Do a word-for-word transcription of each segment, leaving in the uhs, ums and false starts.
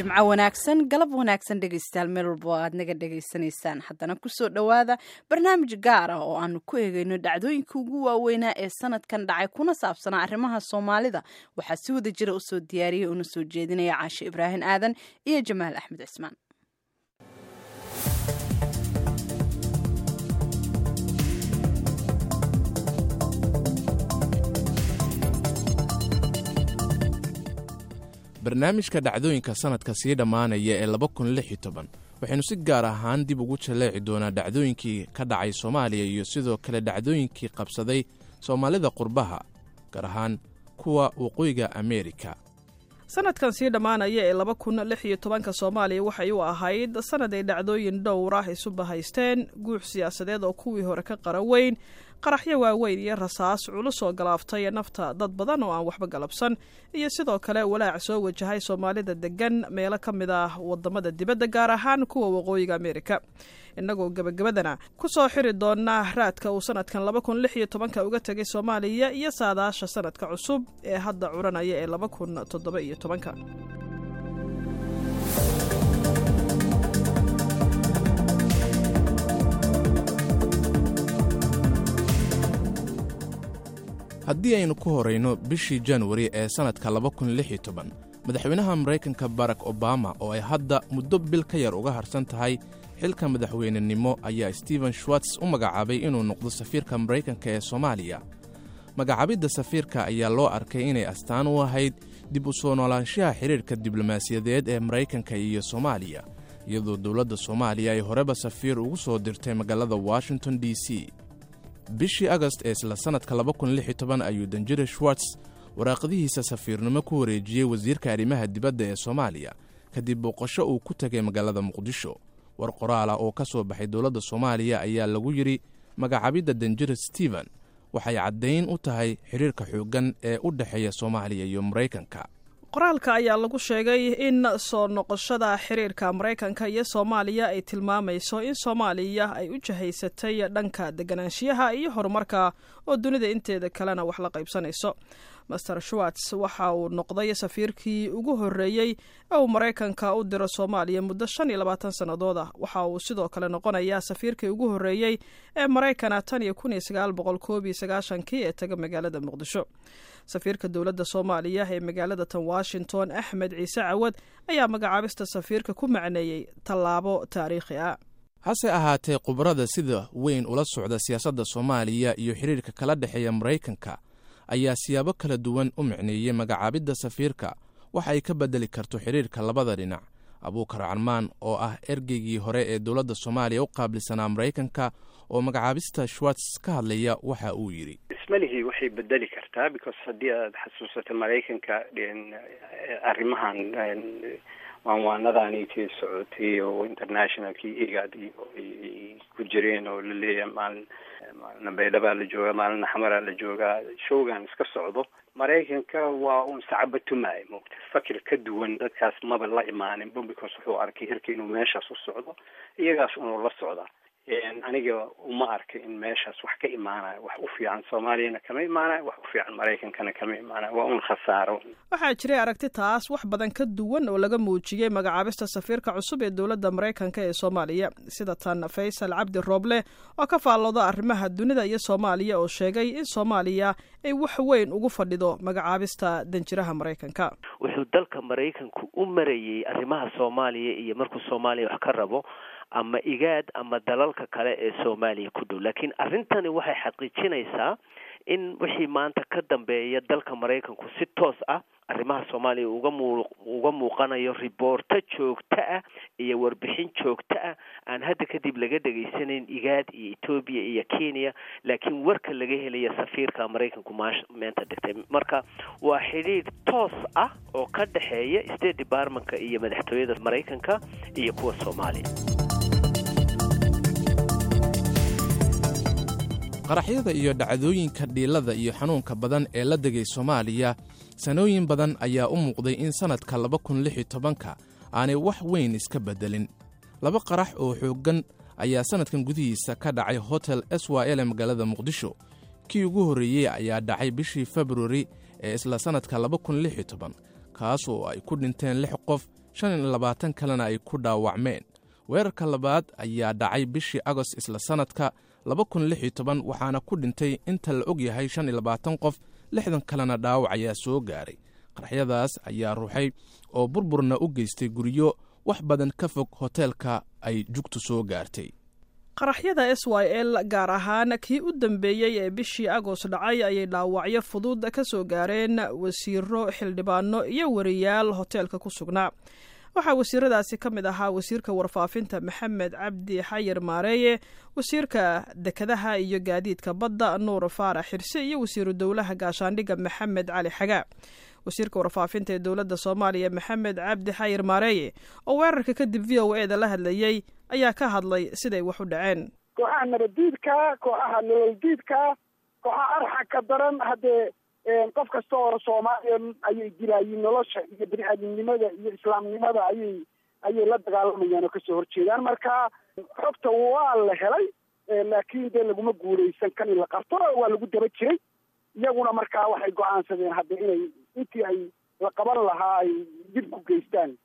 Jimco wanaagsan, galab wanaagsan dhegeystayaal, meel walba oo aad naga dhegaysanaysaan. Haddana kusoo dhowaada barnaamij gaar ah oo aanu ku eegeyno dhacdooyinka ugu waaweynaa ee sanadkan dhacay kuna saabsanaa arrimaha Soomaalida. Waxaa si wada jira usoo diyaariyay una soo jeedinaya Caashe Ibraahim Aadan iyo Jamaal Axmed Cismaan. Barnaamijka dhacdooyinka sanadka sii dhammaanaya ee laba kun lix iyo toban waxaynu si gaar ahaan dib ugu jaleeci doonaa dhacdooyinkii ka dhacay Soomaaliya iyo sidoo kale dhacdooyinkii qabsaday soomaalida qurbaha, gaar ahaan kuwa Waqooyiga Ameerika. Sanadkan sii dhammaanaya ee laba kun lix iyo tobanka Soomaaliya waxay u ahayd sanad ay dhacdooyin dhowr ah isu bahaysteen, guux siyaasadeed oo kuwii hore ka qara weyn, qaraxyo waaweyn iyo rasaas culus oo galaaftay nafta dad badan oo aan waxba galabsan, iyo sidoo kale walaac soo wajahay Soomaalida degan meelo ka mid ah wadamada dibadda, gaar ahaan kuwa Waqooyiga Ameerika. Innagoo gebagabadana ku soo xiri doonaa raadka uu sanadkan laba kun lix iyo tobanka uga tegay Soomaaliya iyo saadaasha sanadka cusub ee hadda curanaya ee laba kun toddoba iyo tobanka. Haddii aynu ku horayno bishii Januari ee sannadka laba kun lix iyo toban, madaxweynaha Maraykanka Barack Obama, oo ay hadda muddo bil ka yar uga harsan tahay xilka madaxweynenimo, ayaa Stephen Schwartz u magacaabay inuu noqdo safiirka Maraykanka ee Soomaaliya. Magacaabidda safiirka ayaa loo arkay inay astaan u ahayd dib u soo noolaanshaha xidhiirka diblomaasiyadeed ee Maraykanka iyo Soomaaliya, iyadoo dowladda Soomaaliya ay horeba safiir ugu soo dirtay magaalada Washington D C. Bishii Agost ee isla sannadka laba kun lix iyo toban ayuu danjire Schwartz waraaqdihiisa safiirnimo ku wareejiyey wasiirka arrimaha dibadda ee Soomaaliya kadib booqasho uu ku tegay magaalada Muqdisho. War qoraala oo ka soo baxay dowladda Soomaaliya ayaa lagu yidhi, magacaabidda danjire Stephen waxay caddayn u tahay xidhiirka xooggan ee u dhexeeya Soomaaliya iyo Maraykanka. Qoraalka ayaa lagu sheegay in soo noqoshada xiriirka Maraykanka iyo Soomaaliya ay tilmaamayso in Soomaaliya ay u jahaysatay dhanka deganaanshiyaha iyo horumarka oo dunida inteeda kalena wax la qaybsanayso. Master Schwartz waxa uu noqday safiirkii ugu horreeyey ee uu Maraykanka u diro Soomaaliya muddo shan iyo labaatan sannadood ah. Waxa uu sidoo kale noqonayaa safiirkii ugu horreeyey ee Maraykana tan iyo kun iyo sagaal boqol koob iyo sagaashankii ee taga magaalada Muqdisho. Safiirka dowladda Soomaaliya ee magaalada tan Washington, Axmed Ciise Cawad, ayaa magacaabista safiirka ku macneeyey tallaabo taariikhi ah. Hase ahaatee, khubarada sida weyn ula socda siyaasadda Soomaaliya iyo xidhiirka kala dhexeeya Maraykanka ayaa siyaabo kala duwan u micneeyey magacaabidda safiirka waxa ay ka beddeli karto xidhiirka labada dhinac. Abuukar Carmaan, oo ah ergeygii hore ee dowladda Soomaaliya u qaabilsanaa Maraykanka, oo magacaabista Schwartz ka hadlaya, waxa uu yidhi: Ismalihii waxay bedeli kartaa, because haddii aad xasuusato Maraykanka arrimahan waanwaanadaanitii socotay oo internationalkii IGAD ay ku jireen oo laleeyahay maalin maalina Baydhabaa la joogaa, maalina Xamaraa la joogaa, showgan iska socdo, Maraykanka waa uun sacabatumaayo moogta, fakir ka duwan dadkaas maba la imaaninba, because wuxuu arkay hirka inuu meeshaas u socdo, iyagaas unuu la socdaa. Aniga uma arka in meeshaas wax ka imaanayo. Wax u fiican Soomaaliyana kama imaanayo, wax u fiican Maraykankana kama imaanayo, waa un khasaaro. Waxaa jiray aragti taas wax badan ka duwan oo laga muujiyey magacaabista safiirka cusub ee dowladda Maraykanka ee Soomaaliya, sida tan Faysal Cabdi Rooble oo ka faallooda arrimaha dunida iyo Soomaaliya, oo sheegay in Soomaaliya ay wax weyn ugu fadhido magacaabista danjiraha Maraykanka. Wuxuu dalka Maraykanku u marayey arrimaha Soomaaliya iyo markuu Soomaaliya wax ka rabo ama IGAD ama dalalka kale ee Soomaaliya ku dhow, laakiin arrintani waxay xaqiijinaysaa in wixii maanta ka dambeeya dalka Maraykanku si toos ah arrimaha Soomaaliya uga muu uga muuqanayo, riboorto joogto ah iyo warbixin joogto ah aan hadda kadib laga dhegaysanayn IGAD iyo Etoobiya iyo Kenya, laakiin warka laga helaya safiirka Maraykanku maash meenta dhigtay. Marka waa xidhiidh toos ah oo ka dhexeeya State Departmentka iyo madaxtooyada Maraykanka iyo kuwa Soomaaliya. Qaraxyada iyo dhacdooyinka dhiilada iyo xanuunka badan ee la degay Soomaaliya sanooyin badan ayaa u muuqday in sannadka laba kun lix iyo tobanka aanay wax weyn iska beddelin. Laba qarax oo xooggan ayaa sannadkan gudihiisa ka dhacay Hotel S Y L ee magaalada Muqdisho. Kii ugu horreeyey ayaa dhacay bishii Februari ee isla sannadka laba kun lix iyo toban, kaas oo ay ku dhinteen lix qof, shan iyo labaatan kalena ay ku dhaawacmeen. Weerarka labaad ayaa dhacay bishii Agost isla sannadka laba kun lix iyo toban, waxaana ku dhintay inta la og yahay shan iyo labaatan qof, lixdan kalena dhaawac ayaa soo gaaray. Qaraxyadaas ayaa ruuxay oo burburna u geystay guryo wax badan ka fog hoteelka ay jugtu soo gaartay. Qaraxyada S Y L, gaar ahaan kii u dambeeyey ee bishii Agost dhacay, ayay dhaawacyo fudud ka soo gaareen wasiiro, xildhibaano iyo wariyaal hoteelka ku sugnaa. Waxaa wasiiradaasi ka mid ahaa wasiirka warfaafinta Maxamed Cabdi Xayir Maareeye, wasiirka dekedaha iyo gaadiidka badda Nuur Faarax Xirse iyo wasiiru dowlaha gaashaandhigga Maxamed Cali Xagaa. Wasiirka warfaafinta ee dowladda Soomaaliya Maxamed Cabdi Xayir Maareeye oo weerarka kadib V O A da la hadlayey ayaa ka hadlay siday wax u dhaceen. Kooxaha nabaddiidka, kooxaha nololdiidka, kooxaha arxagka daran, haddee qof kasta oo Soomaaliya ayay dilaayiin. Nolosha iyo bini aadamnimada iyo islaamnimada ayay ayay la dagaalamayaan oo kasoo horjeedaan. Marka xogta waa la helay, laakiin dee laguma guuleysan kan in la qabto. Waa lagu daba jiray iyaguna. Markaa waxay go-aansadeen hadda inay intii ay la qaban lahaa ay dib ku geystaan,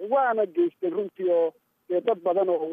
waana geysteen runtii, oo dee dad badan oo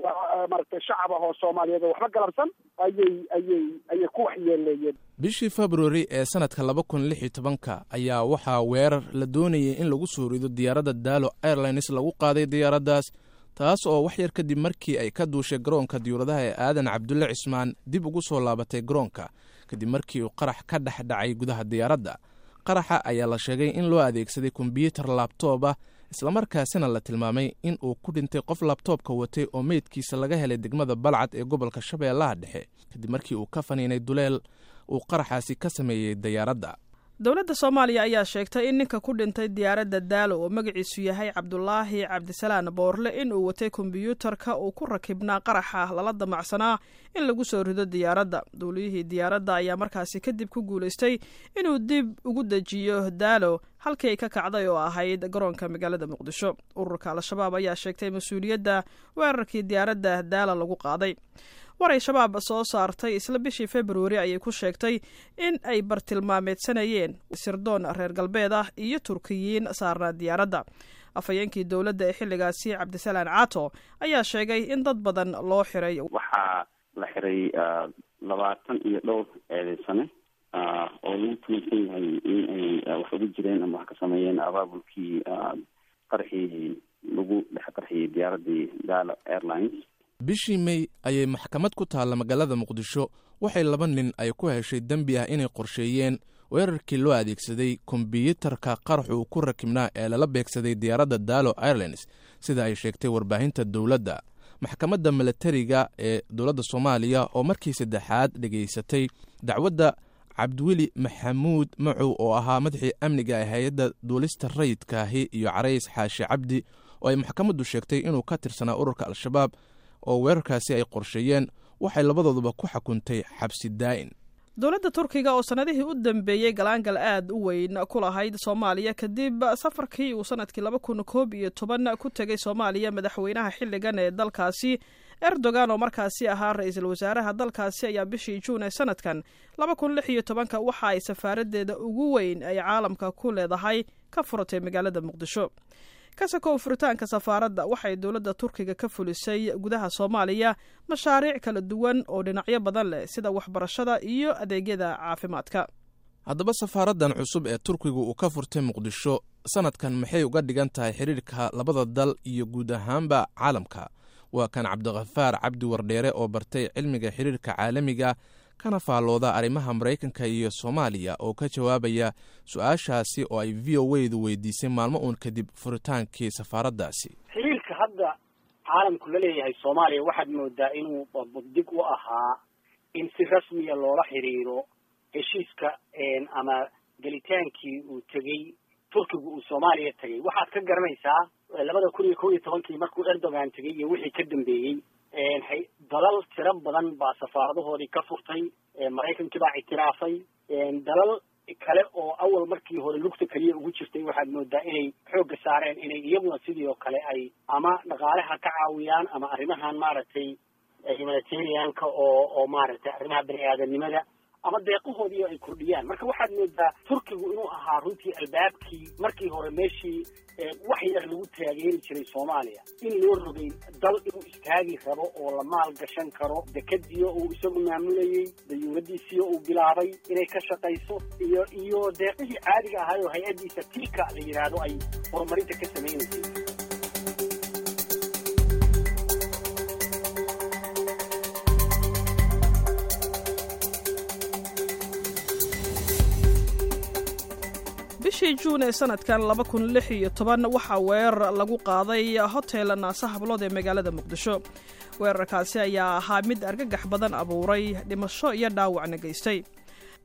maaragtay shacab ah oo Soomaaliyeed oo waxba galabsan ayay ayay ayay ku waxyeeleeyeen. Bishii Februari ee sannadka laba kun lix iyo tobanka ayaa waxaa weerar la doonayay in lagu soo rido diyaaradda Daalo Airlines lagu qaaday diyaaraddaas, taas oo wax yar kadib markii ay ka duushay garoonka diyuuradaha ee Aadan Cabdulle Cismaan dib ugu soo laabatay garoonka, kadib markii uu qarax ka dhex dhacay gudaha diyaaradda. Qaraxa ayaa la sheegay in loo adeegsaday kombyuutar laptop ah, islamarkaasina la tilmaamay in uu ku dhintay qof laptopka watay oo meydkiisa laga helay degmada Balcad ee gobolka Shabeellaha Dhexe, kadib markii uu ka faniinay duleel uu qaraxaasi ka sameeyey diyaaradda. Dowladda Soomaaliya ayaa sheegtay in ninka ku dhintay diyaaradda Daalo oo magaciisu yahay Cabdulaahi Cabdisalaan Boorle in uu watay kombyuutarka uu ku rakibnaa qaraxa lala damacsanaa in lagu soo rido diyaaradda. Duuliyihii diyaaradda ayaa markaasi kadib ku guulaystay inuu dib ugu dejiyo Daalo halkii ay ka kacday oo ahayd garoonka magaalada Muqdisho. Ururka Al-Shabaab ayaa sheegtay mas-uuliyadda weerarkii diyaaradda Daalo lagu qaaday. War ay Shabaab soo saartay isla bishii Februari ayay ku sheegtay in ay bartilmaameedsanayeen sirdoon reer galbeed ah iyo Turkiyiin saarnaa diyaaradda. Afhayeenkii dowladda ee xilligaasi Cabdisalaan Caato ayaa sheegay in dad badan loo xiray. Waxaa la xiray labaatan iyo dhowr eedeysane oo lagu tumaysan yahay in ay wax ugu jireen ama wax ka sameeyeen abaabulkii qarxii lagu dhex qarxiyey diyaaraddii Daalo Airlines. Bishii Mey ayay maxkamad ku taalla magaalada Muqdisho waxay laba nin ay ku heshay dembi ah inay qorsheeyeen weerarkii loo adeegsaday kombyuutarka qarax uu ku rakibnaa ee lala beegsaday diyaaradda Daalo Airlines, sida ay sheegtay warbaahinta dowladda. Maxkamadda milatariga ee dowladda Soomaaliya oo markii saddexaad dhegaysatay dacwadda Cabdiweli Maxamuud Macow oo ahaa madaxii amniga ee hay-adda duulista rayidkaahi iyo Carays Xaashi Cabdi oo ay maxkamaddu sheegtay inuu ka tirsanaa ururka Al-Shabaab oo weerarkaasi ay qorsheeyeen, waxay labadooduba ku xukuntay xabsi daa'in. Dowladda Turkiga oo sanadihii u dambeeyey galaangal aad u weyn ku lahayd Soomaaliya kadib safarkii uu sanadkii laba kun koob iyo toban ku tegay Soomaaliya madaxweynaha xilligan ee dalkaasi Erdogan oo markaasi ahaa ra-iisul wasaaraha dalkaasi, ayaa bishii Juun ee sanadkan laba kun lix iyo tobanka waxa ay safaaraddeeda ugu weyn ay caalamka ku leedahay ka furatay magaalada Muqdisho. Kasakow furitaanka safaaradda, waxay dowladda Turkiga ka fulisay gudaha Soomaaliya mashaariic kala duwan oo dhinacyo badan leh, sida waxbarashada iyo adeegyada caafimaadka. Haddaba safaaraddan cusub ee Turkigu uu ka furtay Muqdisho sanadkan maxay uga dhigan tahay xidhiirka labada dal iyo guud ahaanba caalamka? Waa kan Cabdikhafaar Cabdi Wardheere oo bartay cilmiga xidhiirka caalamiga kana faallooda arrimaha Maraykanka iyo Soomaaliya oo ka jawaabaya su-aashaasi oo ay V O A-du weydiisay maalmo uun kadib furitaankii safaaraddaasi. Xiriirka hadda caalamku la leeyahay Soomaaliya waxaad moodaa inuu dig u ahaa in si rasmiya loola xiriiro heshiiska ama gelitaankii uu tegey Turkigu uu Soomaaliya tegay. Waxaad ka garanaysaa labada kun iyo kow iyo tobankii markuu Erdogan tegay iyo wixii ka dambeeyey, dalal tiro badan baa safaaradahoodii ka furtay. Maraykankii baa ictiraafay. Dalal kale oo awal markii hore lugta keliya ugu jirtay waxaad moodaa inay xoogga saareen inay iyaguna sidii oo kale ay ama dhaqaalaha ka caawiyaan ama arrimahan maaragtay humanitarianka oo oo maaragtay arrimaha bani aadamnimada ama deeqahoodii ay kordhiyaan. Marka waxaad moodaa Turkigu inuu ahaa runtii albaabkii markii hore meeshii wax yar lagu taageeri jiray Soomaaliya, in loo rogay dal inuu istaagi rabo oo la maal gashan karo, dekadiyo uu isagu maamulayey, dayuuradiisiyo uu bilaabay inay ka shaqayso, iyo iyo deeqihii caadiga ahaay oo hay-addiisa Tika la yidhaahdo ay horumarinta ka samaynaysay. Bishii Juun ee sanadkan laba kun lix iyo toban waxaa weerar lagu qaaday hotel Naasa Hablood ee magaalada Muqdisho. Weerarkaasi ayaa ahaa mid argagax badan abuuray, dhimasho iyo dhaawacna geystay.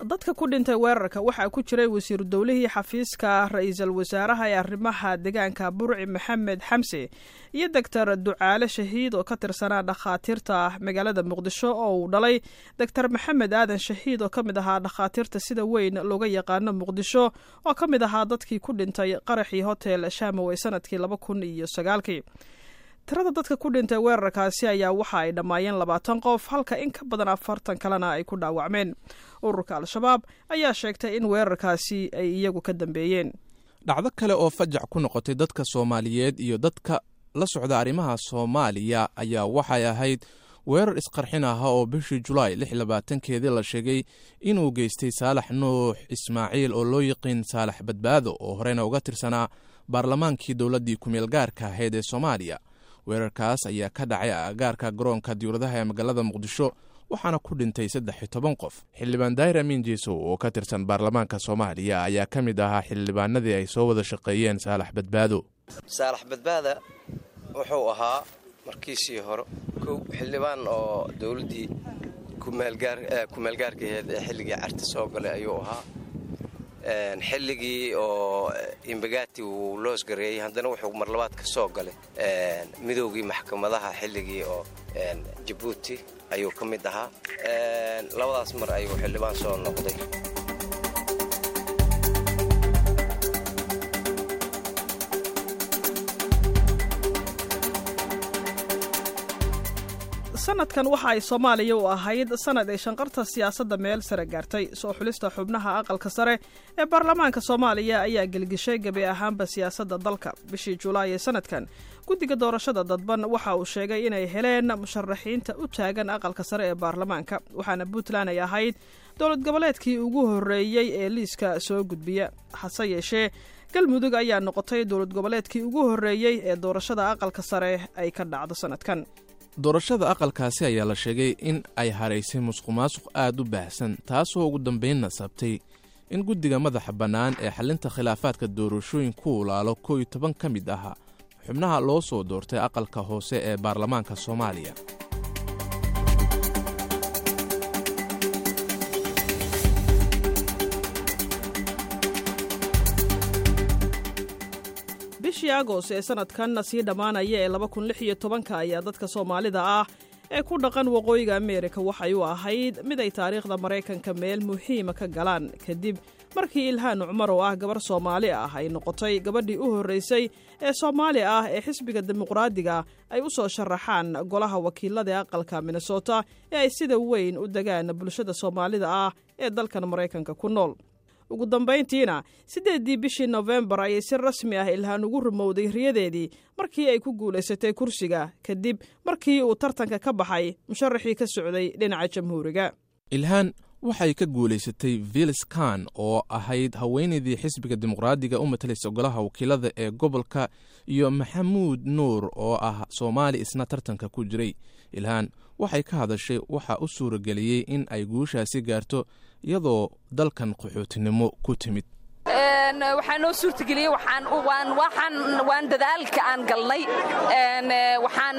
Dadka ku dhintay weerarka waxaa ku jiray wasiiru dowlihii xafiiska ra-iisul wasaaraha ee arrimaha deegaanka Burci Maxamed Xamse iyo Doctor Ducaale Shahiid oo ka tirsanaa dhakhaatiirta magaalada Muqdisho oo uu dhalay Doctor Maxamed Aadan Shahiid oo ka mid ahaa dhakhaatiirta sida weyn looga yaqaano Muqdisho oo ka mid ahaa dadkii ku dhintay qaraxii hotel Shamow ee sanadkii laba kun iyo sagaalkii. Tirada dadka ku dhintay weerarkaasi ayaa waxa ay dhammaayeen labaatan qof, halka in ka badan afartan kalena ay ku dhaawacmeen. Ururka Al-Shabaab ayaa sheegtay in weerarkaasi ay iyagu ka dambeeyeen. Dhacdo kale oo fajac ku noqotay dadka Soomaaliyeed iyo dadka la socda arrimaha Soomaaliya ayaa waxay ahayd weerar isqarxin aha oo bishii Julaay lix labaatankeedii la sheegay inuu geystay Saalax Nuux Ismaaciil oo loo yiqiin Saalax Badbaado, oo horeyna uga tirsanaa baarlamaankii dowladdii kumeel gaarka ahayd ee Soomaaliya. Weerarkaas ayaa ka dhacay agagaarka garoonka diyuuradaha ee magaalada Muqdisho, waxaana ku dhintay saddex iyo toban qof. Xildhibaan Daahir Amiin Jeesow oo ka tirsan baarlamaanka Soomaaliya ayaa ka mid ahaa xildhibaanadii ay soo wada shaqeeyeen Saalax Badbaado. Saalax Badbaada wuxuu ahaa markiisii hore kow xildhibaan oo dowladdii kumeelgaarka aheyd ee xilligii Carta soo galay ayuu ahaa. Xilligii oo Imbagati uu loosgareeyey haddana wuxuu mar labaad ka soo galay midoogii maxkamadaha xilligii oo Jabuuti ayuu ka mid ahaa. Labadaas mar ayuu xildhibaan soo noqday. Sanadkan waxa ay Soomaaliya u ahayd sanad ay shanqarta siyaasadda meel sare gaartay. Soo xulista xubnaha aqalka sare ee baarlamaanka Soomaaliya ayaa gelgishay gebi ahaanba siyaasadda dalka. Bishii Julaay ee sanadkan guddiga doorashada dadban waxa uu sheegay inay heleen musharaxiinta u taagan aqalka sare ee baarlamaanka, waxaana Puntland ay ahayd dowlad goboleedkii ugu horreeyey ee liiska soo gudbiya. Hase yeeshee Galmudug ayaa noqotay dowlad goboleedkii ugu horreeyey ee doorashada aqalka sare ay ka dhacdo sanadkan. Doorashada aqalkaasi ayaa la sheegay in ay haraysay musuqmaasuq aad u baahsan, taasoo ugu dambaynna sabtay in guddiga madaxa bannaan ee xallinta khilaafaadka doorashooyin ku ulaalo koo iyo toban ka mid ahaa xubnaha loo soo doortay aqalka hoose ee baarlamaanka Soomaaliya. Bishii Agost ee sanadkan sii dhammaanaya ee laba kun lix iyo tobanka ayaa dadka Soomaalida ah ee ku dhaqan waqooyiga Ameerika waxay u ahayd mid ay taariikhda Maraykanka meel muhiima ka galaan, kadib markii Ilhaan Cumar oo ah gabar Soomaali ah ay noqotay gabadhii u horreysay ee Soomaali ah ee xisbiga Dimuqraadiga ay u soo sharaxaan golaha wakiilada aqalka Minnesota ee ay sida weyn u degaan bulshada Soomaalida ah ee dalkan Maraykanka ku nool. Ugu dambayntiina siddeeddii bishii Nofembar ayay si rasmi ah Ilhaan ugu rumowday riyadeedii markii ay ku guulaysatay kursiga, kadib markii uu tartanka ka baxay musharaxii ka socday dhinaca Jamhuuriga. Ilhaan waxay ka guulaysatay Vilis Khan oo ahayd haweenaydii xisbiga Dimuqraadiga u matalaysa golaha wakiilada ee gobolka, iyo Maxamuud Nuur oo ah Soomaali isna tartanka ku jiray. Ilhaan waxay ka hadashay waxa u suurageliyey in ay guushaasi gaarto iyadoo dalkan qaxootinimo ku timid. Waxaa noo suurtageliyey waan dadaalka aan galnay, waxaan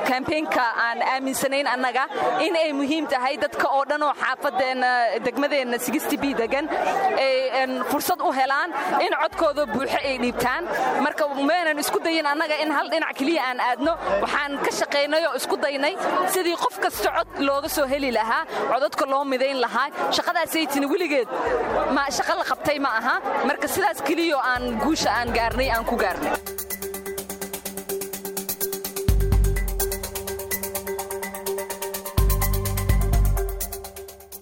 kambeynka aan aaminsanayn annaga in ay muhiim tahay dadka oo dhan oo xaafadeenna degmadeenna sixty b degan ay fursad u helaan in codkooda buuxo ay dhiibtaan. Marka meenan isku dayin annaga in hal dhinac keliya aan aadno, waxaan ka shaqaynay oo isku daynay sidii qof kasta cod looga soo heli lahaa, codadka loo midayn lahaa. Shaqadaasay tini weligeed ma shaqo la qabtay ma aha, marka sidaas keliyo aan guusha aan gaarnay aan ku gaarnay.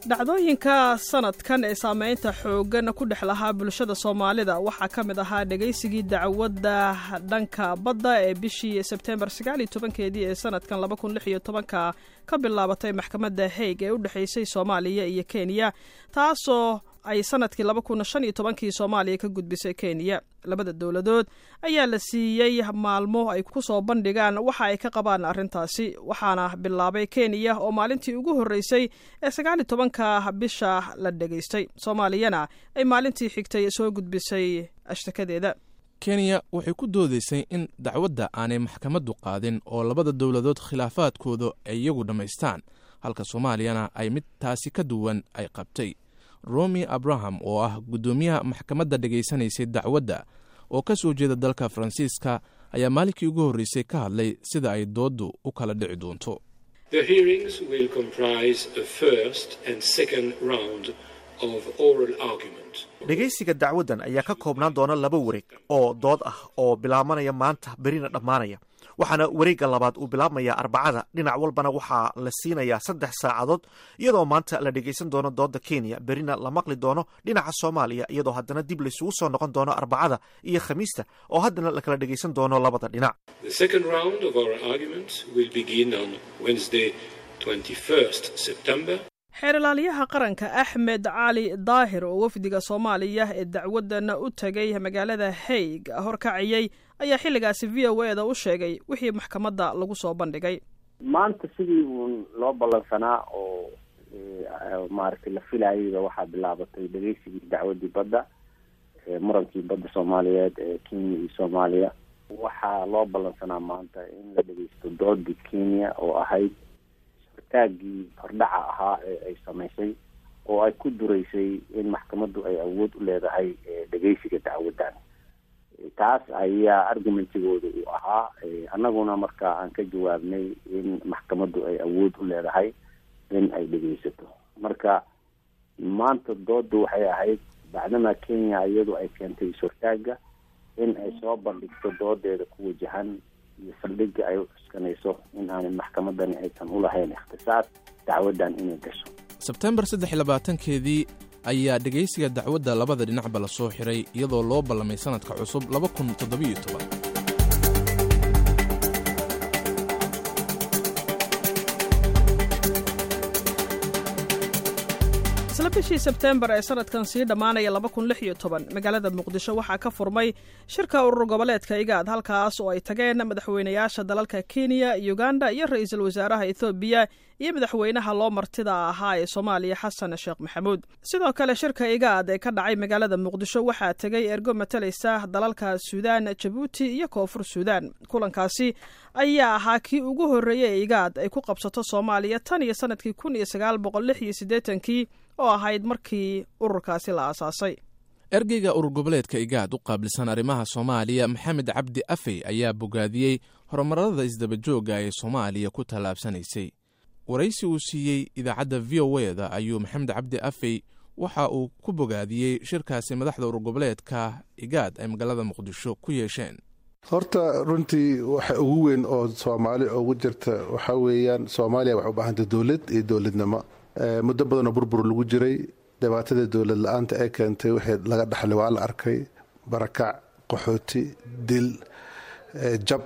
Dhacdooyinka sanadkan ee saameynta xooggan ku dhex lahaa bulshada Soomaalida waxaa ka mid ahaa dhegaysigii dacwadda dhanka badda ee bishii Sebtembar sagaal iyo tobankeedii ee sanadkan laba kun lix iyo tobanka ka bilaabatay maxkamadda Hague ee u dhexaysay Soomaaliya iyo Kenya, taasoo ay sanadkii laba kun shan iyo tobankii Soomaaliya ka gudbisay Kenya. Labada dowladood ayaa la siiyey maalmo ay ku soo bandhigaan waxa ay ka qabaan arrintaasi, waxaana bilaabay Kenya oo maalintii ugu horreysay ee sagaal iyo tobanka bisha la dhegaystay, Soomaaliyana ay maalintii xigtay soo gudbisay ashtakadeeda. Kenya waxay ku doodaysay in dacwadda aanay maxkamaddu qaadin oo labada dowladood khilaafaadkooda ay iyagu dhammaystaan, halka Soomaaliyana ay mid taasi ka duwan ay qabtay. Romi Abraham oo ah guddoomiyaha maxkamadda dhegaysanaysay dacwadda oo ka soo jeeda dalka Faransiiska ayaa maalinkii ugu horreysay ka hadlay sida ay dooddu u kala dhici doonto. The hearings will comprise a first and second round of oral argument. Dhegaysiga dacwaddan ayaa ka koobnaan doona laba wareeg oo dood ah oo bilaabanaya maanta, berina dhammaanaya, waxaana wareegga labaad uu bilaabmaya Arbacada. Dhinac walbana waxaa la siinayaa saddex saacadood, iyadoo maanta la dhegaysan doono dooda Kenya, berina la maqli doono dhinaca Soomaaliya, iyadoo haddana dib laysugu soo noqon doono Arbacada iyo Khamiista oo haddana la kala dhegaysan doono labada dhinac. The second round of oral arguments will begin on Wednesday, twenty-first September. Xeer ilaaliyaha qaranka Axmed Cali Daahir oo wafdiga Soomaaliya ee dacwaddan u tagay magaalada Hague horkaciyey ayaa xilligaasi V O A da u sheegay wixii maxkamadda lagu soo bandhigay. Maanta sidii uun loo ballansanaa oo maaragtay la filayayba waxaa bilaabatay dhegeysigii dacwaddii badda, murankii badda Soomaaliyeed ee Kenya iyo Soomaaliya. Waxaa loo ballansanaa maanta in la dhegeysto doodii Kenya oo ahayd taagii hordhaca ahaa ee ay samaysay oo ay ku duraysay in maxkamaddu ay awood u leedahay dhegeysiga dacwaddan. Taas ayaa argumentigooda uu ahaa, annaguna marka aan ka jawaabnay in maxkamaddu ay awood u leedahay in ay dhegeysato. Marka maanta dooddu waxay ahayd bacdama Kenya iyadu ay keentay is-hortaagga in ay soo bandhigto doodeeda ku wajahan iyo saldhigga ay u cuskanayso in aanay maxkamadani aysan u lahayn ikhtisaas dacwaddan inay gasho. Sebtembar saddex iyo labaatankeedii ayaa dhegaysiga dacwadda labada dhinacba la soo xiray, iyadoo loo ballamay sanadka cusub laba kun toddobiyo toban. Isla bishii Sebtembar ee sanadkan sii dhammaanaya laba kun lix iyo toban magaalada Muqdisho waxaa ka furmay shirka urur goboleedka IGAD, halkaas oo ay tageen madaxweynayaasha dalalka Kenya, Uganda iyo ra-iisul wasaaraha Ethoobiya iyo madaxweynaha loo martida ahaa ee Soomaaliya Xasan Sheekh Maxamuud. Sidoo kale shirka IGAD ee ka dhacay magaalada Muqdisho waxaa tegay ergo matalaysa dalalka Suudaan, Jabuuti iyo Koonfur Suudaan. Kulankaasi ayaa ahaa kii ugu horreeyey ee IGAD ay ku qabsato Soomaaliya tan iyo sanadkii kun iyo sagaal boqol lix iyo siddeetankii oo ahayd markii ururkaasi la aasaasay. Ergeyga urur goboleedka IGAD u qaabilsan arrimaha Soomaaliya Maxamed Cabdi Afey ayaa bogaadiyey horumarada isdabajooga ee Soomaaliya ku tallaabsanaysay. Waraysi uu siiyey idaacadda V O A da ayuu Maxamed Cabdi Afey waxa uu ku bogaadiyey shirkaasi madaxda urur goboleedka IGAD ay magaalada Muqdisho ku yeesheen. Horta runtii waxa ugu weyn oo Soomaali ugu jirta waxaa weeyaan Soomaaliya waxay u baahantay dowlad iyo dowladnimo. Muddo badanoo burbur lagu jiray, dhibaatada dowlad la-aanta ee keentay wixii laga dhaxlay waa la arkay: barakac, qaxooti, dil, jab.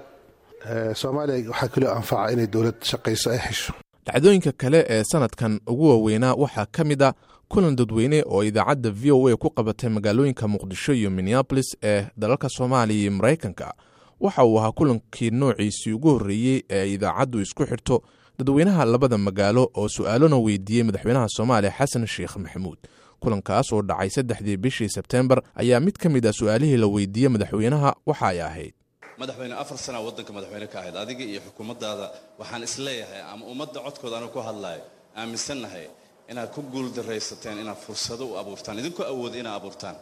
Soomaaliya waxaa kaloo anfaca inay dowlad shaqayso ay hesho. Dhacdooyinka kale ee sanadkan ugu waaweynaa waxaa ka mid a kulan dadweyne oo idaacadda V O A ku qabatay magaalooyinka Muqdisho iyo Minneapolis ee dalalka Soomaaliya iyo Maraykanka. Waxa uu ahaa kulankii noociisii ugu horreeyey ee ay idaacaddu isku xirto dadweynaha labada magaalo oo su-aalona weydiiyey madaxweynaha Soomaaliya Xasan Sheekh Maxamuud. Kulankaas oo dhacay saddexdii bishii Sebtembar ayaa mid ka mid ah su-aalihii la weydiiyey madaxweynaha waxa ay ahayd: madaxweyne, afar sana waddanka madaxweyne ka ahayd adiga iyo xukuumaddaada, waxaan isleeyahay ama ummadda codkooda anu ku hadlaayo aaminsannahay inaad ku guuldaraysateen inaad fursado u abuurtaan, idinkoo awooda inaad abuurtaan.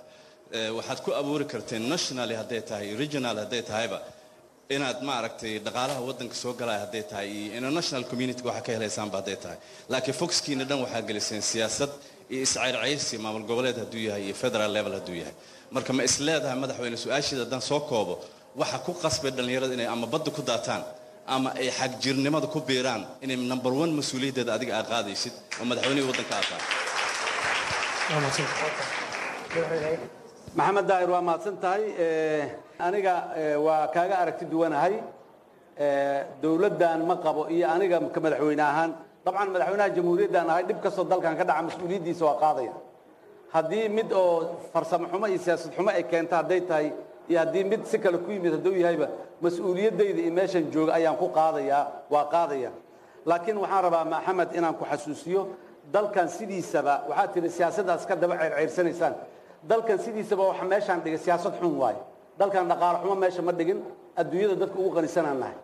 Waxaad ku abuuri karteen nationally hadday tahay, regional hadday tahayba, inaad maaragtay dhaqaalaha waddanka soo galaya hadday tahay iyo international community waxaa ka helaysaanba hadday tahay, laakiin foxkiina dhan waxaa geliseen siyaasad iyo iscayrcayrsi, maamul goboleed hadduu yahay iyo federal level hadduu yahay. Marka ma isleedahay madaxweyne, su-aasheeda haddaan soo koobo, waxa ku qasbay dhallinyarada inay ama badda ku daataan ama ay xagjirnimada ku biiraan inay number one mas-uuliyaddeeda adiga aad qaadaysid oo madaxweynihii waddanka aad tahay? Maxamed Daahir, waa mahadsan tahay. Aniga waa kaaga aragti duwanahay. Dowladdan ma qabo iyo aniga ka madaxweyne ahaan, dabcan madaxweynaha jamhuuriyaddan ahay, dhib kastoo dalkan ka dhaca mas-uuliyaddiisa waa qaadaya. Haddii mid oo farsamo xumo iyo siyaasad xumo ay keento hadday tahay, iyo haddii mid si kale ku yimid hadduu yahayba, mas-uuliyaddayda iyo meeshan jooga ayaan ku qaadayaa, waa qaadaya. Laakiin waxaan rabaa, Maxamed, inaan ku xasuusiyo dalkan sidiisaba waxaad tihi siyaasaddaas ka daba ceyrceyrsanaysaan. Dalkan sidiisaba waxa meeshaan dhigay siyaasad xun waaye. Dalkan dhaqaale xumo meesha ma dhigin. Adduunyada dadka ugu qanisanaan nahay.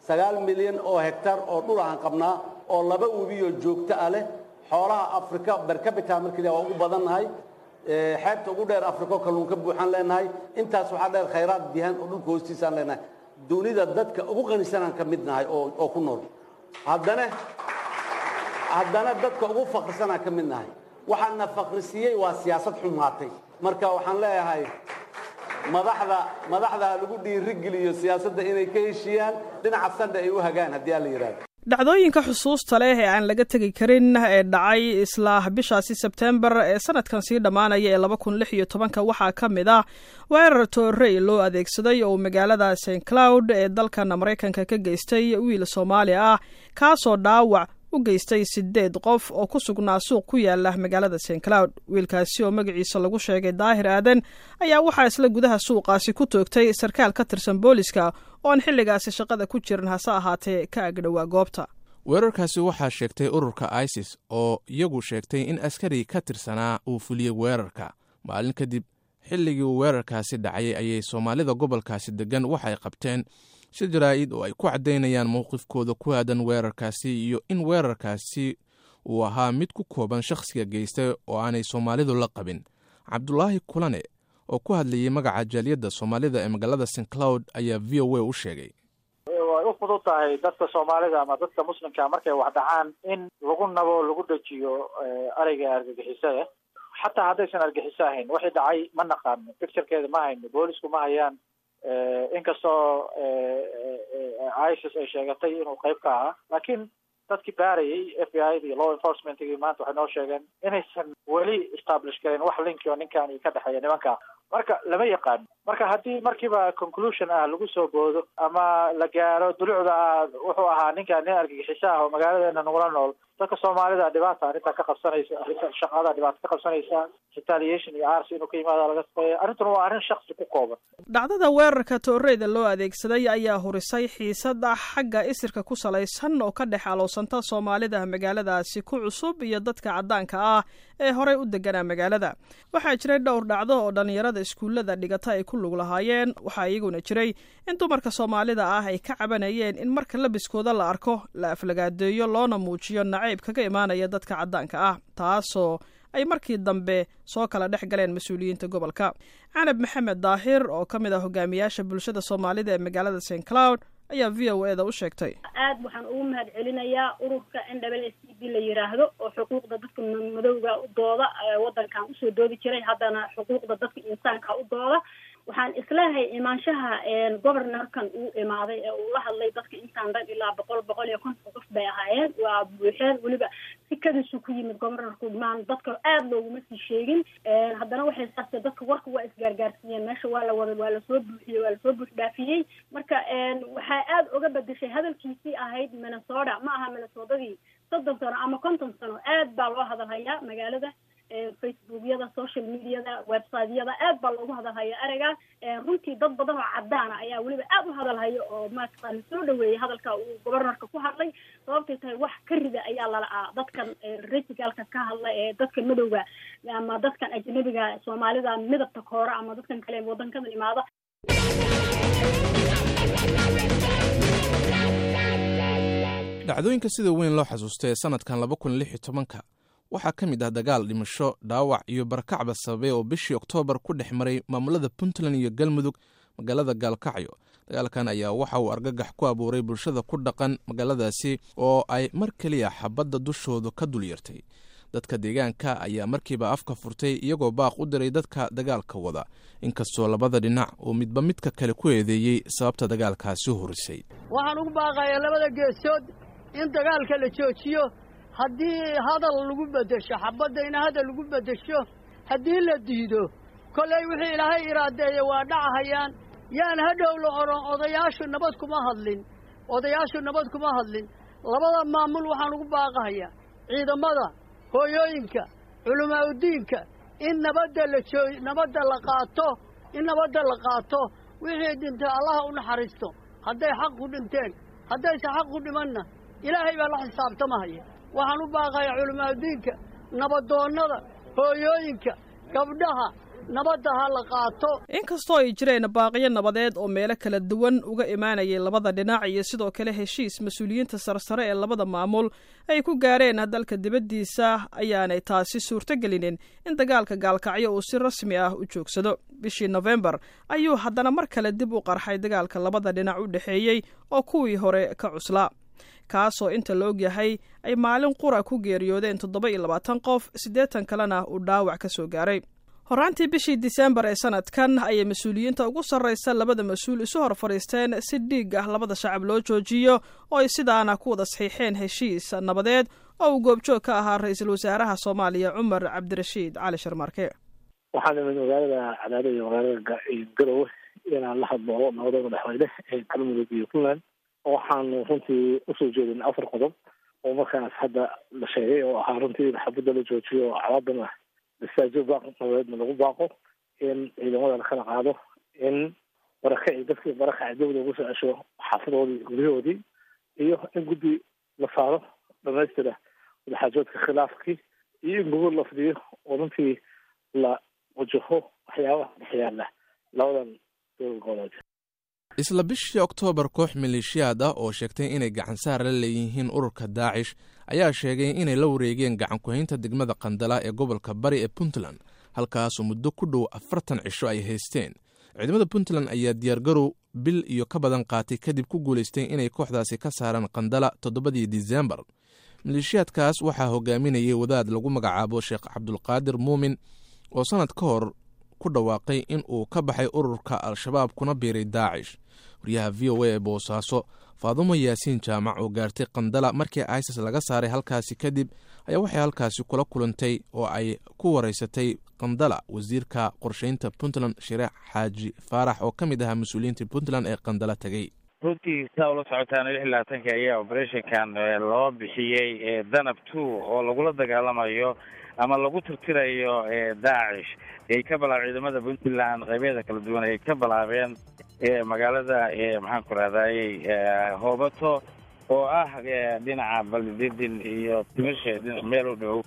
Sagaal milyan oo hektar oo dhul ahaan qabnaa oo laba webiyoo joogto ah leh. Xoolaha Afrika per capita markii la waa ugu badan nahay. Xeebta ugu dheer Afrika oo kalluun ka buuxaan leenahay. Intaas waxaa dheer khayraad dihan oo dhulka hoostiisaan leenahay. Dunida dadka ugu qanisanaan ka mid nahay oo oo ku nool. Haddana haddana dadka ugu faqrisanaan ka mid nahay. Waxaana faqrisiiyey waa siyaasad xumaatay. Marka waxaan leeyahay madaxda madaxda ha lagu dhiirigeliyo siyaasadda inay ka heshiiyaan, dhinaca sandha ay u hagaan haddii aan la yidhahdo. Dhacdooyinka xusuusta leh ee aan laga tegi karin ee dhacay isla bishaasi Sebtembar ee sanadkan sii dhammaanaya ee laba kun lix iyo tobanka waxaa ka mid ah weerar toorey loo adeegsaday oo magaalada Saint Cloud ee dalkan Maraykanka ka geystay wiil Soomaali ah, kaasoo dhaawac u geystay sideed qof oo ku sugnaa suuq ku yaala magaalada Saint Cloud. Wiilkaasi oo magaciisa lagu sheegay Daahir Aadan ayaa waxaa isla gudaha suuqaasi ku toogtay sarkaal ka tirsan booliska oo aan xilligaasi shaqada ku jirin, hase ahaatee ka agdhowaa goobta. Weerarkaasi waxaa sheegtay ururka ISIS oo iyagu sheegtay in askari ka tirsanaa uu fuliyey weerarka. Maalin kadib xilligii uu weerarkaasi dhacay ayay Soomaalida gobolkaasi deggan waxay qabteen shir jaraa'id oo ay ku caddaynayaan mowqifkooda ku aadan weerarkaasi iyo in weerarkaasi uu ahaa mid ku kooban shakhsiga geystay oo aanay Soomaalidu la qabin. Cabdulaahi Kulane oo ku hadlayey magaca jaaliyadda Soomaalida ee magaalada Saint Cloud ayaa V O A u sheegay. Way u fudud tahay dadka Soomaalida ama dadka Muslimka markay wax dhacaan in lagu nabo, lagu dhajiyo ereyga argagixisada, xataa haddaysan argagixiso ahayn. Wixii dhacay ma naqaano, picturekeeda ma hayno, boolisku ma hayaan, inkastoo ISIS ay sheegatay inuu qayb ka ahaa. Laakiin dadkii baarayay, F B I iyo law enforcementgii, maanta waxay noo sheegeen inaysan weli establish garin wax linki oo ninkan ka dhexeeya nimanka. Marka lama yaqaano. Marka haddii markiiba conclusion ah lagu soo boodo ama la gaaro dulucda ah wuxuu ahaa ninkan nin argagixiso ah oo magaaladeena nagula nool, dadka Soomaalida dhibaata arrintaa ka qabsanaysa, arrinta shaqada dhibaata ka qabsanaysa, retaliation iyo arsi inuu ka yimaada laga shaqeeya. Arrintuna waa arrin shaksi ku kooban. Dhacdada weerarka tooreyda loo adeegsaday ayaa hurisay xiisada xagga isirka ku salaysan oo ka dhex aloosanta Soomaalida magaaladaasi ku cusub iyo dadka caddaanka ah ee horey u deganaa magaalada. Waxaa jiray dhowr dhacdo oo dhallinyarada iskuullada dhigata ay ku lug lahaayeen. Waxaa iyaguna jiray in dumarka Soomaalida ah ay ka cabanayeen in marka labiskooda la arko la aflagaadeeyo, loona muujiyo nacayb kaga imaanaya dadka caddaanka ah, taasoo ay markii dambe soo kala dhex galeen mas-uuliyiinta gobolka. Canab Maxamed Daahir oo ka mid ah hogaamiyaasha bulshada Soomaalida ee magaalada Saint Cloud ayaa V O A da u sheegtay. Aad waxaan ugu mahad celinayaa ururka N W S C B la yiraahdo oo xuquuqda dadka madowga u dooda, wadankan usoo doodi jiray, haddana xuquuqda dadka insaanka u dooda. Waxaan isleehay imaanshaha governorkan uu imaaday ee uu la hadlay dadka intaan dhan, ilaa boqol boqol iyo konton qof bay ahaayeen, waa buuxeen. Weliba si kadisu ku yimid governorku, maan dadka aada looguma sii sheegin. Haddana waxay saase dadka warka waa isgaargaarsiiyeen, meesha waa la wada, waa lasoo buuxiyey, waa lasoo buux dhaafiyey. Marka waxaa aada uga bedeshay hadalkiisii ahayd Minnesota ma aha Minnesotadii soddon sano ama konton sano. Aad baa loo hadalhayaa magaalada, Facebookyada, social mediada, websiteyada aad baa loogu hadalhaya ereygaas. Runtii dad badan oo cadaana ayaa weliba aad u hadalhaya oo maaragta soo dhaweeyay hadalka uu governorka ku hadlay. Sababtay tahay wax ka rida ayaa lala'aa dadkan racialka ka hadla ee dadka madowga ama dadkan ajnabiga, Soomaalida midabta koora ama dadkan kale wadankadan imaada. Dhacdooyinka sida weyn loo xasuustay ee sanadkan laba kun lix iyo tobanka waxaa ka mid ah dagaal dhimasho, dhaawac iyo barakacba sababay oo bishii Oktoobar ku dhex maray maamulada Puntland iyo Galmudug magaalada Gaalkacyo. Dagaalkan ayaa waxa uu argagax ku abuuray bulshada ku dhaqan magaaladaasi oo ay mar keliya xabadda dushoodu ka dul yartay. Dadka deegaanka ayaa markiiba afka furtay iyagoo baaq u diray dadka dagaalka wada, inkastoo labada dhinac uu midba midka kale ku eedeeyey sababta dagaalkaasi hurisay. Waxaan ugu baaqayaa labada geesood in dagaalka la joojiyo. Haddii hadal lagu beddesho xabadda, in hadal lagu beddesho haddii la diido, kollay wixii Ilaahay iraadeeye waa dhacahayaan. Yaan hadhow la odhan odayaashu nabad kuma hadlin, odayaashu nabad kuma hadlin. Labada maamul waxaan ugu baaqahayaa ciidamada, hooyooyinka, culimaa'udiinka in nabadda la joo nabadda la qaato, in nabadda la qaato. Wixii dhintay Allaha u naxariisto hadday xaq ku dhinteen, haddayse xaq ku dhimanna Ilaahay baa la xisaabtamahaya. Waxaan u baaqayaa culimaa'udiinka, nabadoonnada, hooyooyinka, gabdhaha, nabadda ha la qaato. Inkastoo ay jireen baaqiyo nabadeed oo meelo kala duwan uga imaanayay labada dhinac iyo sidoo kale heshiis mas-uuliyiinta sarsare ee labada maamul ay ku gaareen dalka dibaddiisa, ayaanay taasi suurtogelinin in dagaalka Gaalkacyo uu si rasmi ah u joogsado. Bishii Nofembar ayuu haddana mar kale dib u qarxay dagaalka labada dhinac u dhexeeyey oo kuwii hore ka cuslaa, kaasoo inta la ogyahay ay maalin qura ku geeriyoodeen toddoba iyo labaatan qof, siddeetan kalena uu dhaawac ka soo gaaray. Horaantii bishii Disembar ee sanadkan ayay mas-uuliyiinta ugu sarraysa labada mas-uul isu hor fadhiisteen si dhiig ah labada shacab loo joojiyo, oo ay sidaana ku wada saxiixeen heshiis nabadeed oo uu goobjoog ka ahaa ra-iisul wasaaraha Soomaaliya Cumar Cabdirashiid Cali Sharmaarke. Waxaan imid magaalada Cadaado iyo magaalada Garowe inaan la hadlo nabada madaxweyne ee Galmudug iyo Puntland. Waxaanu runtii usoo jeedin afar qodob oo markaas hadda la sheegay, oo ahaa runtii in xabadda la joojiyo oo calaadana istaajiyo, baaq nabadeedna lagu baaqo, in ciidamada la kala qaado, in barakaci dadkii barakaci dawda ugu soo cesho xaafadoodii iyo guryahoodii, iyo in guddi la saaro dhamaystira wadaxaajoodka khilaafkii, iyo in gogol la fidiyo oo runtii la wajaho waxyaabaha dhexyaala labadan dowlad goboleed. Isla bishii Oktoobar, koox maleeshiyaad ah oo sheegtay inay gacansaar la leeyihiin ururka Daacish ayaa sheegay inay la wareegeen gacan ku-haynta degmada Qandala ee gobolka Bari ee Puntland, halkaasoo muddo ku dhow afartan cisho ay haysteen. Ciidamada Puntland ayaa diyaargarow bil iyo ka badan qaatay kadib ku guulaystay inay kooxdaasi ka saaraan Qandala toddobadii Disembar. Maleeshiyaadkaas waxaa hogaaminayay wadaad lagu magacaabo Sheekh Cabdulqaadir Muumin oo sannad ka hor ku dhawaaqay in uu ka baxay ururka Al-Shabaab kuna biiray Daacish. Wariyaha V O A ee Boosaaso, Faadumo Yaasiin Jaamac, oo gaartay Qandala markii ISIS laga saaray halkaasi kadib, ayaa waxay halkaasi kula kulantay oo ay ku wareysatay Qandala wasiirka qorsheynta Puntland Shireex Xaaji Faarax oo ka mid ahaa mas-uuliyiinta Puntland ee Qandala tegey. Runtii sidaa ula socotaan, lix iyo labaatanka ayaa operationkan loo bixiyey Danab two oo lagula dagaalamayo ama lagu tirtirayo Daacish. Ay ka bilaab ciidamada Puntland qaybeeda kala duwan ay ka bilaabeen magaalada, maxaan ku rahdaayey, Hoobato oo ah dhinaca Baldidin iyo Timishe meel u dhow.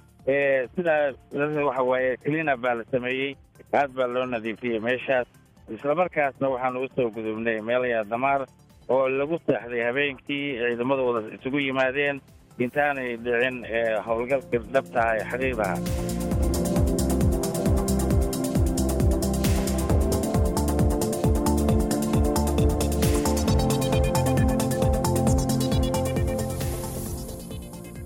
Sidaa waxa waaye cleanup baa la sameeyey, aad baa loo nadiifiyey meeshaas. Islamarkaasna waxaanu usoo gudubnay meel Yaadamaar oo lagu seexday habeenkii, ciidamada wada isugu yimaadeen intaanay dhicin howlgalka dhabtaha ee xaqiiqdaha.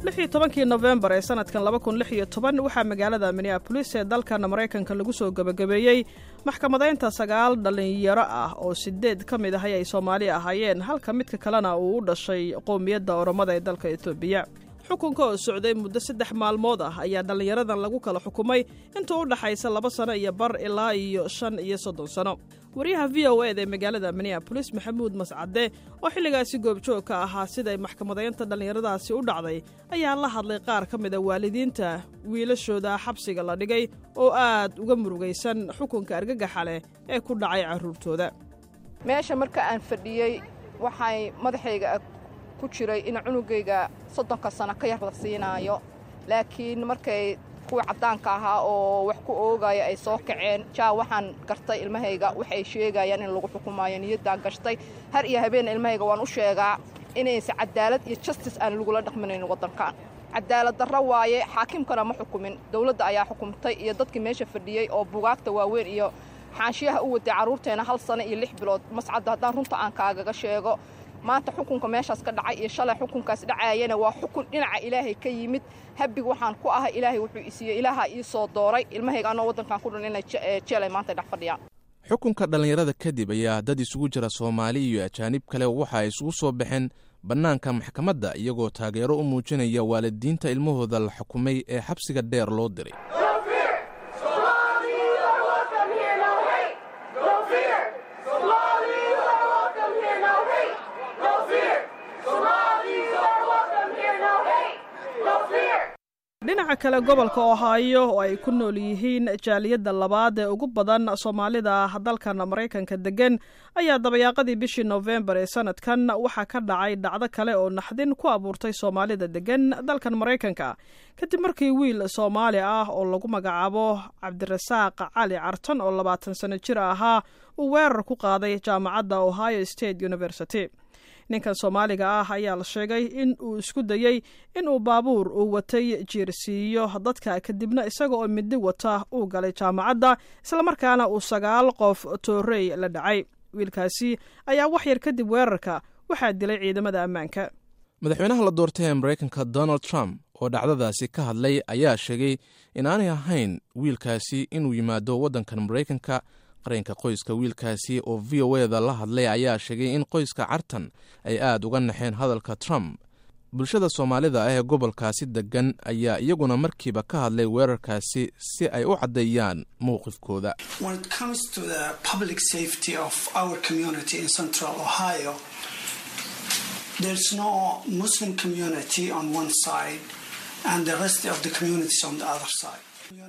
Lix iyo tobankii Nofembar ee sanadkan laba kun lix iyo toban waxaa magaalada Minneapolis ee dalkan Maraykanka lagu soo gebagabeeyey maxkamadaynta sagaal dhallinyaro ah oo sideed ka mid ahay ay Soomaali ahaayeen, halka midka kalena uu u dhashay qowmiyadda Oromada ee dalka Etoobiya. Xukunka oo socday muddo saddex maalmood ah ayaa dhallinyaradan lagu kala xukumay inta u dhaxaysa laba sano iyo bar ilaa iyo shan iyo soddon sano. Wariyaha V O eda ee magaalada Minneapolis, Maxamuud Mascade, oo xilligaasi goobjoog ka ahaa siday maxkamadaynta dhallinyaradaasi u dhacday, ayaa la hadlay qaar ka mid a waalidiinta wiilashooda xabsiga la dhigay oo aad uga murugaysan xukunka argagaxa leh ee ku dhacay carruurtooda. Meesha marka aan fadhiyey waxay madaxayga ku jiray in cunugayga soddonka sano ka yar la siinaayo, laakiin markay kuwa caddaanka ahaa oo wax ku oogaya ay soo kaceen, jaa waxaan gartay ilmahayga waxay sheegayaan in lagu xukumaayo. Niyaddaa gashtay har iyo habeenna ilmahayga waan u sheegaa inaysa cadaalad iyo justice aan lagula dhaqminayn waddankan. Cadaalad darro waaye, xaakimkana ma xukumin, dowladda ayaa xukumtay iyo dadkii meesha fadhiyey oo bugaagta waaweyn iyo xaanshiyaha u waday carruurteena hal sano iyo lix bilood. Mascadda, haddaan runta aan kaagaga sheego, maanta xukunka meeshaas ka dhacay iyo shalay xukunkaas dhacaayana waa xukun dhinaca Ilaahay ka yimid. Habig waxaan ku ahay Ilaahay wuxuu isiiyey, Ilaaha ii soo dooray ilmahayga anoo waddankan ku dhan inay jeelay maanta dhex fadhiyaan. Xukunka dhallinyarada kadib ayaa dad isugu jira Soomaali iyo ajaanib kale waxa ay isugu soo baxeen bannaanka maxkamadda, iyagoo taageero u muujinaya waalidiinta ilmahooda la xukumay ee xabsiga dheer loo diray. Dhinaca kale, gobolka Ohio oo ay ku nool yihiin jaaliyadda labaad ee ugu badan Soomaalida dalkan Maraykanka degan ayaa dabayaaqadii bishii Nofembar ee sanadkan waxaa ka dhacay dhacdo kale oo naxdin ku abuurtay Soomaalida degan dalkan Maraykanka, kadib markii wiil Soomaali ah oo lagu magacaabo Cabdirasaaq Cali Cartan oo labaatan sano jir ahaa uu weerar ku qaaday jaamacadda Ohio State University. Ninkan Soomaaliga ah ayaa la sheegay in uu isku dayey in uu baabuur uu watay jiirsiiyo dadka, kadibna isaga oo midi wata uu galay jaamacadda, islamarkaana uu sagaal qof toorey la dhacay. Wiilkaasi ayaa wax yar kadib weerarka waxaa dilay ciidamada ammaanka. Madaxweynaha la doortay ee Maraykanka Donald Trump oo dhacdadaasi ka hadlay ayaa sheegay inaanay ahayn wiilkaasi inuu yimaado waddankan Maraykanka. Qareenka qoyska wiilkaasi oo V O E da la hadlay ayaa sheegay in qoyska Cartan ay aad uga naxeen hadalka Trump. Bulshada Soomaalida ah ee gobolkaasi degan ayaa iyaguna markiiba ka hadlay weerarkaasi si ay u caddeeyaan mowqifkooda. When it comes to the public safety of our community in Central Ohio, there's no Muslim community on one side and the rest of the communities on the other side.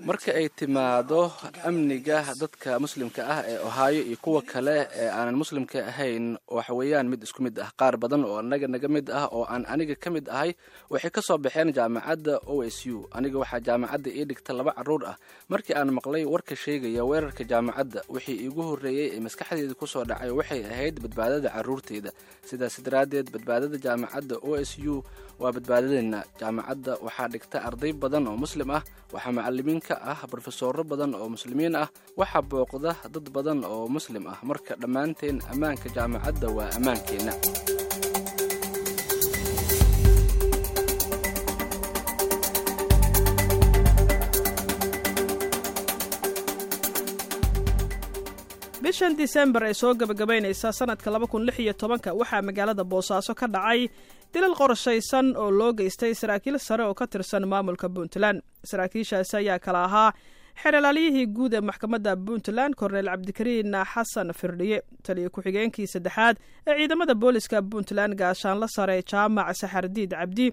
Marka ay timaado amniga dadka Muslimka ah ee Ohio iyo kuwa kale ee aanan Muslimka ahayn, waxa weeyaan mid isku mid ah. Qaar badan oo annaga naga mid ah oo aan aniga ka mid ahay waxay ka soo baxeen jaamacadda O S U. Aniga waxaa jaamacadda ii dhigta laba carruur ah. Markii aan maqlay warka sheegaya weerarka jaamacadda, wixii iigu horreeyey ee maskaxdeyda ku soo dhacay waxay ahayd badbaadada carruurteyda. Sidaas daraaddeed, badbaadada jaamacadda O S U waa badbaadadeenna. Jaamacadda waxaa dhigta arday badan oo Muslim ah, waxaa macallimiin ka ah brofesooro badan oo Muslimiin ah, waxaa booqda dad badan oo Muslim ah. Marka dhammaanteen ammaanka jaamacadda waa ammaankeenna. Bishan Disembar ee soo gebagabaynaysa sanadka laba kun lix iyo tobanka waxaa magaalada Boosaaso ka dhacay dilal qorshaysan oo loo geystay saraakiil sare oo ka tirsan maamulka Puntland. Saraakiishaasi ayaa kala ahaa xeeralaaliyihii guud ee maxkamadda Puntland, Korneyl Cabdikariin Xasan Firdhiye, taliyo ku-xigeenkii saddexaad ee ciidamada booliska Puntland, gaashaanla sare Jaamac Saxardiid Cabdi,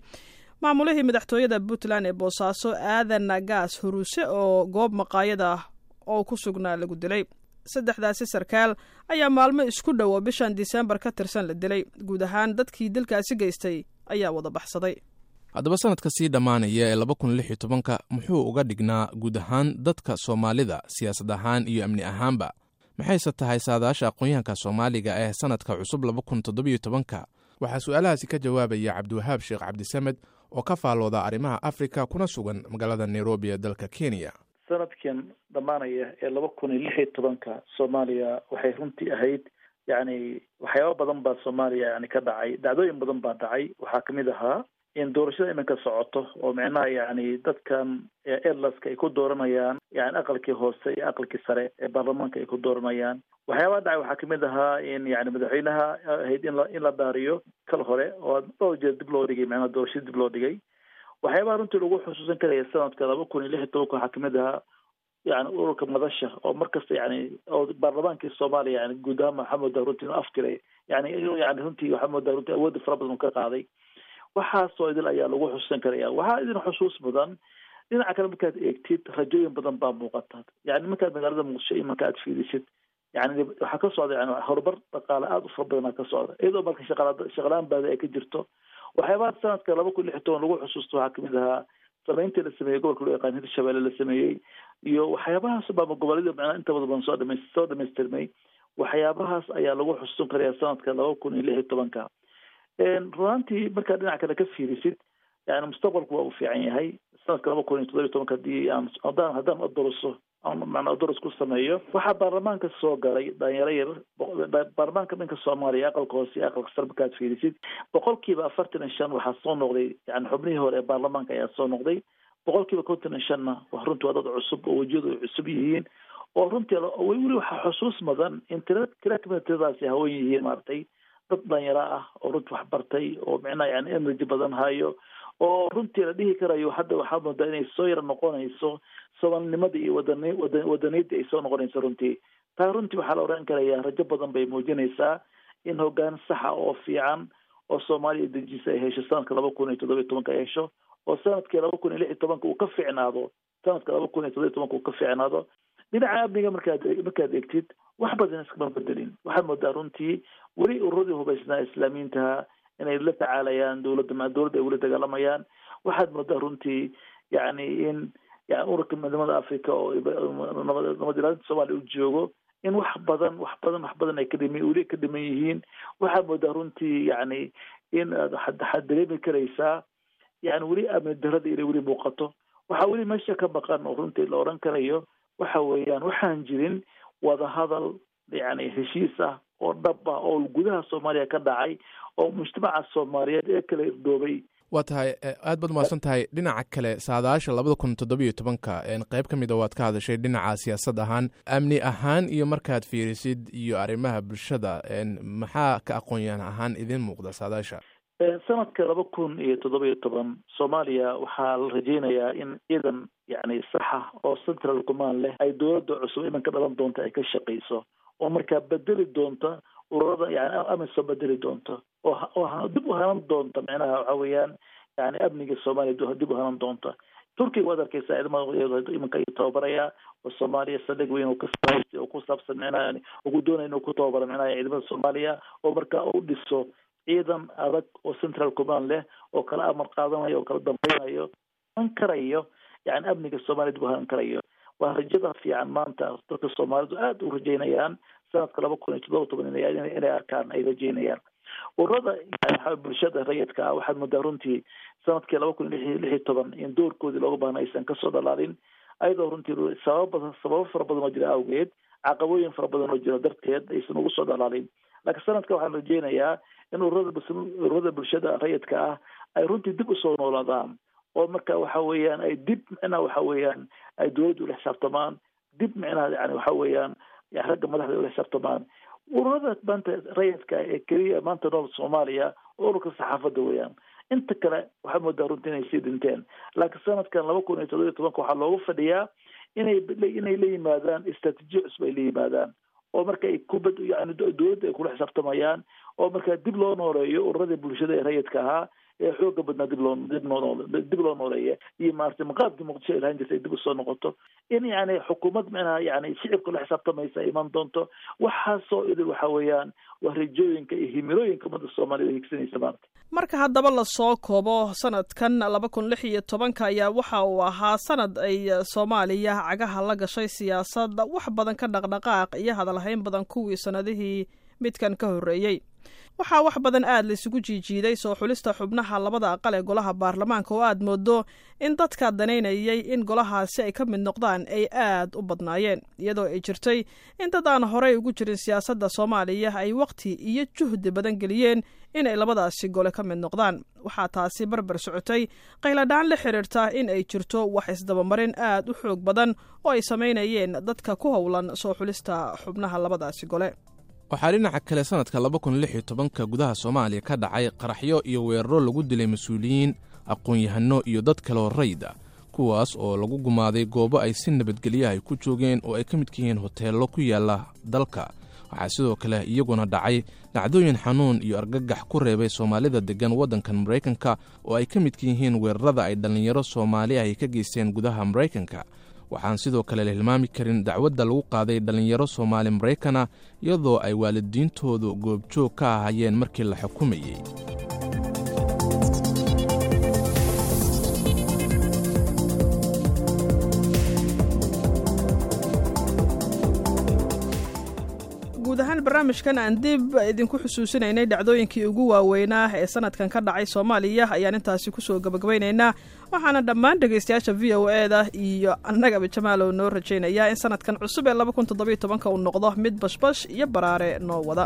maamulihii madaxtooyada Puntland ee Boosaaso, Aadan Gaas Huruuse, oo goob maqaayada oo ku sugnaa lagu dilay. Saddexdaasi sarkaal ayaa maalmo isku dhow oo bishan Disembar ka tirsan la dilay. Guud ahaan dadkii dilkaasi geystay ayaa wada baxsaday. Haddaba, sanadka sii dhammaanaya ee laba kun lix iyo tobanka muxuu uga dhignaa guud ahaan dadka Soomaalida, siyaasad ahaan iyo amni ahaanba? Maxayse tahay saadaasha aqoon-yahanka Soomaaliga ee sanadka cusub laba kun toddobiyo tobanka? Waxaa su-aalahaasi ka jawaabaya Cabdiwahaab Sheekh Cabdisamed oo ka faallooda arrimaha Afrika kuna sugan magaalada Nairobi ee dalka Kenya. Sanadkan dhammaanaya ee laba kun iyo lix iyo tobanka Soomaaliya waxay runtii ahayd, yacni, waxyaaba badan baa Soomaaliya yani ka dhacay, dhacdooyin badan baa dhacay. Waxaa kamid ahaa in doorashada iminka socoto oo micnaha yani dadkan airlaska ay ku dooranayaan yani aqalkii hoose iyo aqalkii sare ee baarlamaanka ay ku dooranayaan. Waxyaabaha dhacay waxaa kamid ahaa in yani madaxweynaha ahayd in la in la dhaariyo kal hore oo dhowr jeer dib loo dhigay, macnaha doorashada dib loo dhigay. Waxyaabaha runtii lagu xusuusan karaya sanadka laba kun iyo lix iyo tobanka waxaa kamid ahaa yani ururka Madasha oo markasta yani oo baarlamaankii Soomaaliya yani guud ahaan waxaa moodaa runtii inuu aftiray, yani inuu yani runtii waxaa moodaa runtii awoodda fara badan uu ka qaaday. Waxaasoo idil ayaa lagu xusuusan karaya. Waxaa idin xusuus mudan, dhinaca kale markaad eegtid, rajooyin badan baa muuqata. Yani markaad magaalada Muqdisho iyo marka aad fiirisid, yani waxaa ka socda yani horumar dhaqaale aada u fara badanaa ka socda, iyadoo marka shaqala shaqalaan baada ay ka jirto. Waxyaabaha sanadka laba kun lix iyo toban lagu xusuusto waxaa kamid ahaa sameyntii la sameeyey gobolka loo yaqaan Hirshabelle la sameeyey iyo waxyaabahaas baama gobollada macnaa inta badan soo dhamays soo dhamaystirmay. Waxyaabahaas ayaa lagu xusuusan karaya sanadka laba kun iyo lix iyo tobanka. Runaantii markaad dhinaca kale ka fiirisid, yani mustaqbalku waa uu fiican yahay sanadka laba kun iyo toddoba iyo tobanka. Hadii aan haddaan haddaan odoroso, macnaa odoros ku sameeyo, waxaa baarlamaanka soo galay dhalinyaro yar. Baarlamaanka dhanka Soomaaliya, aqalka hoose iyo aqalka sare markaad fiirisid, boqolkiiba afartan iyo shan waxaa soo noqday yani xubnihii hore ee baarlamaanka ayaa soo noqday, boqolkiiba konton iyo shanna runtii waa dad cusub oo wejiyadu ay cusub yihiin. Oo runtii weli waxaa xusuus mudan in tira tira kamida tiradaasi haween yihiin, maaragtay, dad dhalinyaro ah oo runtii wax bartay oo micnaha yani energy badan hayo, oo runtii la dhihi karayo hadda waxaa moodaa inay soo yara noqonayso soomaalinimada iyo wadani wadan wadaniyadda ay soo noqonayso runtii. Taa runtii waxaa la oran karayaa rajo badan bay muujinaysaa in hoggaan saxa oo fiican oo Soomaaliya dejisa ay hesho sanadka laba kun iyo toddoba iyo tobanka ay hesho, oo sanadkii laba kun iyo lix iyo tobanka uu ka fiicnaado, sanadka laba kun iyo toddoba iyo tobanka uu ka fiicnaado. Dhinaca amniga markaad markaad eegtid, wax badan iskama bedelin. Waxaad moodaa runtii weli ururadii hubaysnaa islaamiintaha inay la tacaalayaan dowladda, dowladda ay weli dagaalamayaan. Waxaad moodaa runtii yani in yani ururka Midnimada Africa oo nabad nabad ilaalinta Soomaaliya u joogo in wax badan wax badan wax badan ay ka dhimi weli ka dhiman yihiin. Waxaad moodaa runtii yani in aad waxaad dareemi karaysaa yani weli amni darada inay weli muuqato. Waxaa weli meesha ka maqan oo runtii la oran karayo waxa weeyaan waxaan jirin wadahadal yani heshiis ah oo dhab ah oo gudaha Soomaaliya ka dhacay oo mujtamaca Soomaaliyeed ee kala irdoobay. Waa tahay, aad baad umahadsan tahay. Dhinaca kale, saadaasha labada kun toddobiyo tobanka qayb ka mida waad ka hadashay, dhinaca siyaasad ahaan, amni ahaan iyo markaad fiirisid iyo arrimaha bulshada, maxaa ka aqoon-yahan ahaan idin muuqda saadaasha? Sanadka laba kun iyo toddoba iyo toban Soomaaliya waxaa la rajeynayaa in ciidan yani saxa oo central command leh ay dowladda cusub imanka dhalan doonta ay ka shaqeyso, oo markaa bedeli doonta ururada yani AMISOM bedeli doonta, oo oo dib u hanan doonta micnaha waxa weeyaan yani amniga Soomaaliya dib u hanan doonta. Turkiga waad arkeysaa ciidamada imanka ayuu tababaraya oo Soomaaliya saldhig weyn oo ka sahaystay oo ku saabsan micnaha yani ugu doonaya inuu ku tababaro micnaha ciidamada Soomaaliya, oo markaa u dhiso ciidan adag oo central command leh oo kala amar qaadanayo oo kala dambeynayo, han karayo yani amniga Soomaaliya dib u hanan karayo. Waa rajada fiican maanta dadka Soomaalidu aada u rajeynayaan sanadka laba kun iyo toddoba toban inay arkaan ay rajeynayaan. Ururada yani bulshada rayidka ah waxaad moodaa runtii sanadkii laba kun iyo lix iyo toban in doorkoodii looga baahna aysan kasoo dhalaalin, ayadoo runtii sababa badan sababo fara badan oo jira awgeed, caqabooyin fara badan oo jira darteed aysan ugu soo dhalaalin. Laakiin sanadka waxaan rajeynayaa in ururada ururada bulshada rayidka ah ay runtii dib usoo noolaadaan, oo marka waxa weeyaan ay dib micnaha waxa weeyaan ay dowladda ula xisaabtamaan, dib micnaha yani waxa weeyaan ragga madaxda ula xisaabtamaan. Ururada maanta rayidka ee keliya maanta nool Soomaaliya oo ururka saxaafadda weeyaan, inta kale waxaad moodaa runtii inay sii dhinteen. Laakiin sanadkan laba kun iyo toddoba iyo tobanka waxaa loogu fadhiyaa inay inay la yimaadaan istraatiijiyo cusub ay la yimaadaan, oo marka ay kubad yani dowladda ay kula xisaabtamayaan, oo markaa dib loo nooleeyo ururadii bulshada ee rayidka ahaa ee xooga badnaa, dib loo dib noo dib loo nooleeya, iyo maaragtay maqaabkii Muqdisho ay lahaan jirtay ay dib usoo noqoto, in yani xukuumad micnaha yani shicibka la xisaabtamaysa ay iman doonto. Waxaasoo idil waxa weeyaan waa rajooyinka iyo himilooyinka ummadda Soomaalida higsanaysa maanta. Marka haddaba lasoo koobo, sanadkan laba kun lix iyo tobanka ayaa waxa uu ahaa sanad ay Soomaaliya cagaha la gashay siyaasadda wax badan ka dhaqdhaqaaq iyo hadalhayn badan kuwii sanadihii midkan ka horreeyey. Waxaa wax badan aad la isugu jiijiiday soo xulista xubnaha labada aqal ee golaha baarlamaanka, oo aad moodo in dadka danaynayay in golahaasi ay ka mid noqdaan ay aad u badnaayeen, iyadoo ay jirtay in dad aan horey ugu jirin siyaasadda Soomaaliya ay waqti iyo juhdi badan geliyeen in ay labadaasi gole ka mid noqdaan. Waxaa taasi barbar socotay qayladhaan la xiriirta in ay jirto wax isdabamarin aad u xoog badan oo ay samaynayeen dadka ku howlan soo xulista xubnaha labadaasi gole. Waxaa dhinaca kale sanadka laba kun lix iyo tobanka gudaha Soomaaliya ka dhacay qaraxyo iyo weeraro lagu dilay mas-uuliyiin, aqoon-yahano iyo dad kaloo rayda, kuwaas oo lagu gumaaday goobo ay si nabadgelyaha ay ku joogeen oo ay ka midka yihiin hoteello ku yaalla dalka. Waxaa sidoo kale iyaguna dhacay dhacdooyin xanuun iyo argagax ku reebay Soomaalida deggan waddankan Maraykanka, oo ay ka midka yihiin weerarada ay dhallinyaro Soomaali ay ka geysteen gudaha Maraykanka. Waxaan sidoo kale la hilmaami karin dacwadda lagu qaaday dhallinyaro Soomaali Maraykana, iyadoo ay waalidiintoodu goobjoog ka ahaayeen markii la xukumayey. Guud ahaan barnaamijkan aan dib idinku xusuusinaynay dhacdooyinkii ugu waaweynaa ee sanadkan ka dhacay Soomaaliya ayaan intaasi kusoo gabagabaynaynaa. Waxaana dhammaan dhegaystayaasha V O E da iyo annagaba Jamaalow noo rajaynayaa in sanadkan cusub ee laba kun toddobiyo tobanka uu noqdo mid bashbash iyo baraare noo wada.